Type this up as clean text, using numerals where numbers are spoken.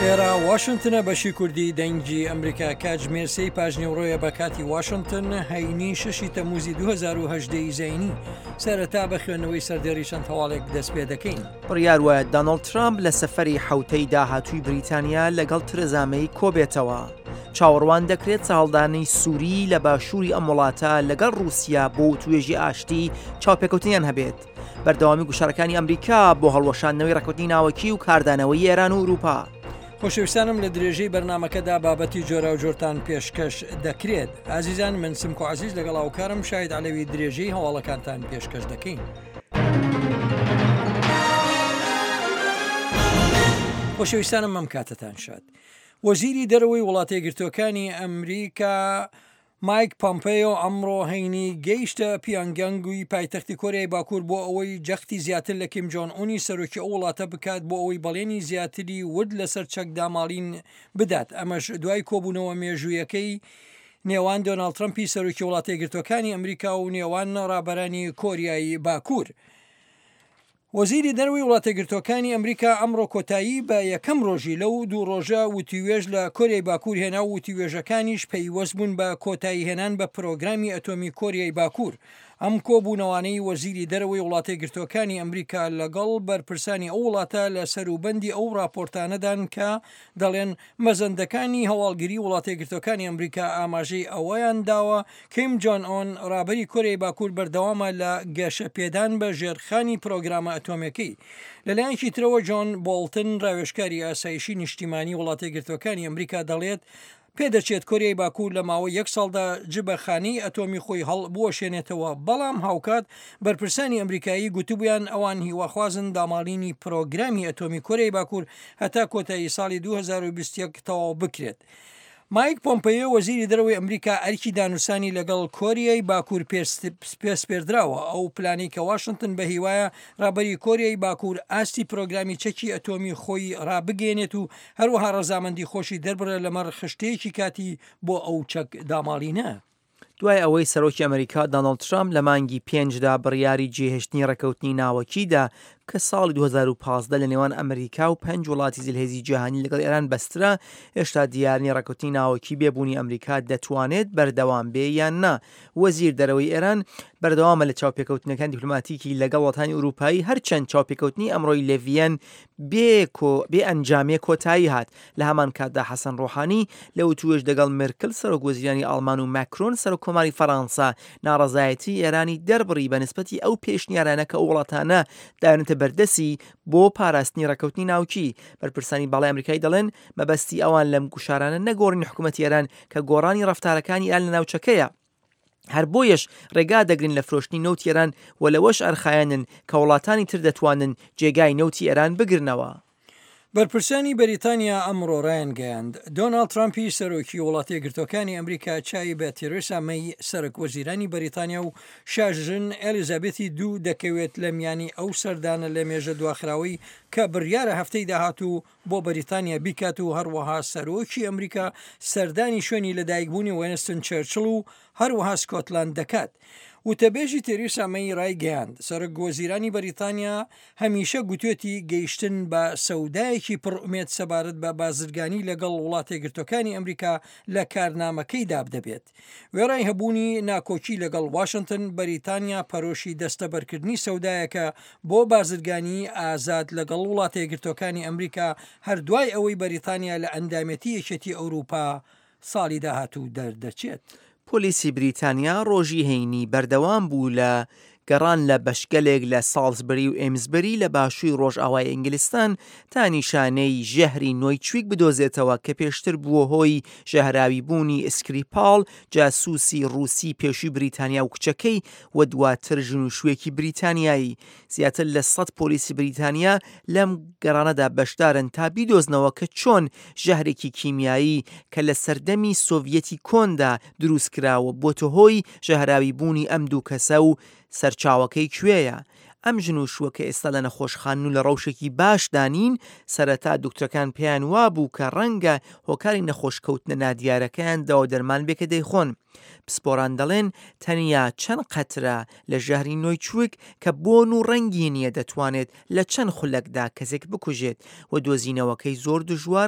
ئێرە واشنتنە بەشی کوردی دەنگی ئەمریکا کاتژمێر سێی پاژنیوڕۆیە بە کاتی واشنتن هەینی شەشی تەموزی 2010 زینی سەرەتا بە خوێندنەوەی سەردێڕی چەند هەواڵێک دەست پێ دەکەین. بڕیار وایە دانۆڵد ترامپ لە سەفەری حەوتەی داهاتووی بریتانیا لەگەڵ ترێزا مەی کۆبێتەوە. چاوەڕوان دەکرێت سەهەڵدانەی سووری لە باشووری ئەم وڵاتە لەگەڵ ڕووسیا بۆ وتوێژی ئاشتی چاوپێکەوتنیان هەبێت. بەردەوامی گوشارەکانی ئەمریکا بۆ هەڵوەشاندنەوەی ڕێککەوتنی ناوەکی و کاردانەوەی ئێران و ئورووپا. خۆشەویستانم لە درێژەی بەرنامەکەدا بابەتی جۆراوجۆرتان پێشکەش دەکرێت. ئازیزان من سمکۆ عەزیز لەگەڵ هاوکارم شاهید عەلەوی درێژەی هەواڵەکانتان پێشکەش دەکەین. خۆشەویستانم ئەم کاتەتان شاد. وەزیری دەرەوەی وڵاتەیەکگرتووەکانی ئەمریکا مایک پۆمپێیۆ ئەمڕۆ هەینی گەیشتە پیۆنگیانگی پایتەختی کۆریای باکوور بۆ ئەوەی جەختی زیاتر لە کیم جۆن ئونی سەرۆکی ئەو وڵاتە بکات بۆ ئەوەی بەڵێنی زیاتری ورد لەسەر چەک داماڵین بدات ئەمەش دوای کۆبوونەوە مێژوویەکەی نێوان دۆناڵد ترەمپی سەرۆکی وڵاتەیەکگرتووەکانی ئەمریکا و نێوان ڕابەرانی کۆریای باکوور. وەزیری دەرەوەی وڵاتەیەکگرتووەکانی ئەمریکا ئەمڕۆ کۆتایی بە یەکەم ڕۆژی لەو دوو ڕۆژە وتووێژ لە کۆریای باکوور هێنا و وتووێژەکانیش پەیوەست بوون بە کۆتایی هێنان بە پرۆگرامی ئەتۆمی کۆریای باکوور. ئەم کۆبوونەوانەی وەزیری دەرەوەی وڵاتەیەکگرتووەکانی ئەمریکا لەگەڵ بەرپرسانی ئەو وڵاتە لە سەروبەندی ئەو ڕاپۆرتانەدان کە دەڵێن مەزەندەکانی هەواڵگری وڵاتەیەکگرتووەکانی ئەمریکا ئاماژەی ئەوەیان داوە کیم جۆن ئۆن، ڕابەری کۆریای باکوور بەردەوامە لە گەشەپێدان بە ژێرخانی پرۆگرامە ئەتۆمیەکەی. لەلایەکی ترەوە جۆن بۆڵتن، ڕاوێژکاری ئاسایشی نیشتیمانی وڵاتەیەکگرتووەکانی ئەمریکا دەڵێت، پێدەچێت کۆریای باکوور لە ماوەی یەک ساڵدا جبەخانەی ئەتۆمی خۆی هەڵبوەشێنێتەوە، بەڵام هاوکات بەرپرسانی ئەمریکایی گوتبوویان ئەوان هیواخوازن داماڵینی پرۆگرامی ئەتۆمی کۆریای باکوور هەتا کۆتایی ساڵی 2021 تەواو بکرێت. مایک پۆمپەیۆ وەزیری دەرەوەی ئەمریکا ئەرکی دانوسانی لەگەڵ کۆریای باکوور پێسپێردراوە، ئەو پلانەی کە واشنتن بە هیوایە ڕابەری کۆریای باکوور ئاستی پرۆگرامی چەکی ئەتۆمی خۆی ڕابگەیەنێت و هەروەها ڕەزامەندی خۆشی دەربڕێت لەمەڕ خشتەیەکی کاتی بۆ ئەو چەک داماڵینە. دوای ئەوەی سەرۆکی ئەمریکا دانۆڵد ترامپ لە مانگی پێنجدا بڕیاری جێهێشتنی ڕێککەوتنی ناوەکی دا کە ساڵی 2015 لە نێوان ئەمریکا و پێنج وڵاتی زلهێزی جیهانی لەگەڵ ئێران بەسترا، هێشتا دیار نییە ڕێککەوتنی ناوەکی بێ بوونی ئەمریکا دەتوانێت بەردەوام بێ یان نا. وەزیر دەرەوەی ئێران بەردەوامە لە چاوپێکەوتنەکان دیپلۆماتیکی لەگەڵ وڵاتانی ئورووپایی هەرچەند چاوپێکەوتنی ئەمڕۆی لە ڤییەن بێ کۆ بێ ئەنجامێ کۆتایی هات. لە هەمان کاتدا حەسەن ڕۆحانی لە وتووێژ دەگەڵ مێرکل سەرۆک وەزیرانی ئاڵمان و ماکرۆن سەرۆک کۆماری فەرانسە ناڕەزایەتیی ئێرانی دەربڕی بە نسبەتی ئەو پێشنیارانە کە ئەو وڵاتانە داوێنەتە بەردەسی بۆ پاراستنی ڕێککەوتنی ناوکی. بەرپرسانی باڵای ئەمریکایی دەڵێن مەبەستی ئەوان لەم گوشارانە نەگۆڕینی حکوومەتی ئێران کە گۆڕانی ڕەفتارەکانی ئێران لە ناوچەکەیە. هەر بۆیەش ڕێگا دەگرن لە فرۆشتنی نەوتی ئێران و لەوەش ئەرخایەنن کە وڵاتانی تر دەتوانن جێگای نەوتی ئێران بگرنەوە. بەرپرسانی بەریتانیا ئەمڕۆ رایانگەیاند، دۆناڵد ترەمپی سەرۆکی وڵاتەیەکگرتووەکانی ئەمریکا چاوی بە تێرێسا مەی سەرەک وەزیرانی بەریتانیا و شاژن ئێلیزابێتی دوو دەکەوێت لە میانی ئەو سەردانە لەمێژە دواخراوەی کە بڕیارە هەفتەی داهاتوو بۆ بەریتانیا بیکات و هەروەها سەرۆکی ئەمریکا سەردانی شوێنی لەدایکبوونی وێنستن چێرچڵ و هەروەها سکۆتلاند دەکات. وتەبێژی تێریسا مەی رایگەیاند، سەرۆک وەزیرانی بەریتانیا هەمیشە گوتوێتی گەیشتن بە سەودایەکی پڕ ئومێد سەبارەت بە بازرگانی لەگەڵ وڵاتەیەکگرتووەکانی ئەمریکا لە کارنامەکەیدا دەبێت. وێڕای هەبوونی ناکۆکی لەگەڵ واشنتن، بەریتانیا پەرۆشی دەستەبەرکردنی سەودایەکە بۆ بازرگانیی ئازاد لەگەڵ وڵاتەیەکگرتووەکانی ئەمریکا هەر دوای ئەوەی بەریتانیا لە ئەندامێتی یەکێتی ئەوروپا ساڵی داهاتوو دەردەچێت. پۆلیسی بریتانیا ڕۆژی هەینی بەردەوام بوو لە گەڕان لە بەشگەلێک لە ساڵزبری و ئێمزبری لە باشووی ڕۆژئاوای ئینگلستان تا نیشانەی ژەهری نۆیچویک بدۆزێتەوە کە پێشتر بووە هۆی ژەهراوی بوونی سکریپاڵ جاسوسی ڕووسی پێشووی بریتانیا و کچەکەی و دواتر ژن و شوویەکی بریتانیایی. زیاتر لە سەد پۆلیسی بریتانیا لەم گەڕانەدا بەشدارن تا بیدۆزنەوە کە چۆن ژەهرێکی کیمیایی کە لە سەردەمی سۆڤیەتی کۆندا دروستکراوە بۆتە هۆی ژەهراوی بوونی ئەم دوو کەسە و سەرچاوەکەی کوێیە. ئەم ژن و شووە کە ئێستا لە نەخۆشخانن و لە ڕەوشێکی باشدا نین، سەرەتا دوکترەکان پێیان وابوو کە ڕەنگە هۆکاری نەخۆشکەوتنە نادیارەکەیان دەوا و دەرمان بێ کە دەیخۆن. پسپۆران دەڵێن تەنیا چەند قەترە لە ژەهری نۆیچوک کە بۆن و ڕەنگی نییە دەتوانێت لە چەند خولەکدا کەسێک بکوژێت و دۆزینەوەکەی زۆر دژوارە.